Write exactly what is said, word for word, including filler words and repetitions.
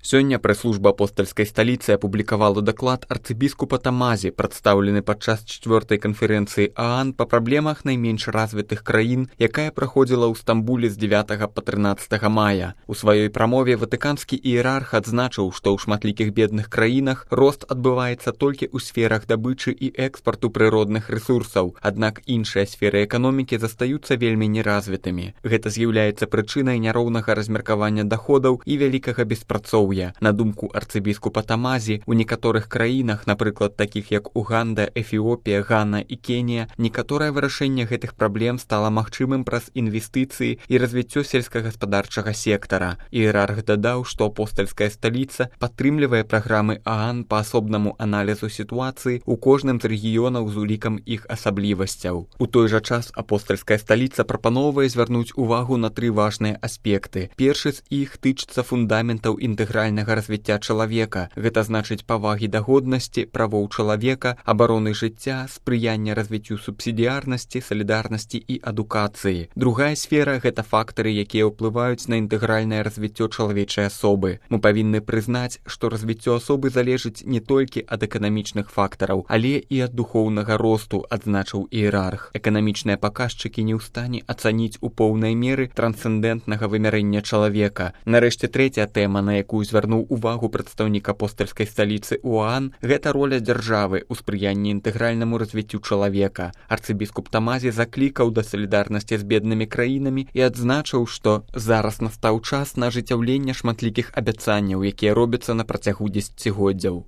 Сёння прэс-служба апостальскай сталіцы апублікавала даклад арцыбіскупа Тамазі, прадстаўлены падчас чацвёртай канферэнцыі ААН па праблемах найменш развітых краін, якая праходзіла ў Стамбуле з дзевятага па трынаццатага мая. У сваёй прамове ватыканскі іерарх адзначыў, што ў шматлікіх бедных краінах рост адбываецца толькі ў сферах дабычы і экспарту прыродных рэсурсаў, аднак іншыя сферы эканомікі застаюцца вельмі неразвітымі. Гэта з'яўляецца прычынай няроўнага размеркавання даходаў і вялікага беспрацоўя. На думку арцыбіскупа Тамазі, у некаторых краінах, напрыклад, такіх як Уганда, Эфіопія, Гана і Кенія, некаторае вырашэнне гэтых праблем стала магчымым праз інвестыцыі і развіццё сельскагаспадарчага сектара. Іерарх дадаў, што апостальская сталіца падтрымлівае праграмы ААН па асобнаму аналізу сітуацыі ў кожным з рэгіёнаў з улікам іх асаблівасцяў. У той жа час апостальская сталіца прапаноўвае звярнуць увагу на тры важныя аспекты. Першы з іх тычыцца фундаментаў інтэграцыі развіцця чалавека. Гэта значыць павагі да годнасці, правоў чалавека, абароны жыцця, спрыяння развіццю субсідыярнасці, салідарнасці і адукацыі. Другая сфера – гэта фактары, якія ўплываюць на інтэгральнае развіццё чалавечай асобы. Мы павінны прызнаць, што развіццё асобы залежыць не толькі ад эканамічных фактараў, але і ад духоўнага росту, адзначыў іерарх. Эканамічныя паказчыкі не ў стане ацаніць у поўнай меры трансцэндэнтнага вымярэння чалавека. Нарэшце, трэцяя тэма, на якую звярнуў увагу прадстаўнік апостальскай сталіцы УААН, гэта роля дзяржавы ў спрыянні інтэгральнаму развіццю чалавека. Арцыбіскуп Тамазі заклікаў да салідарнасці з беднымі краінамі і адзначыў, што зараз настаў час на ажыццяўленне шматлікіх абяцанняў, якія робяцца на працягу дзесяцігоддзяў.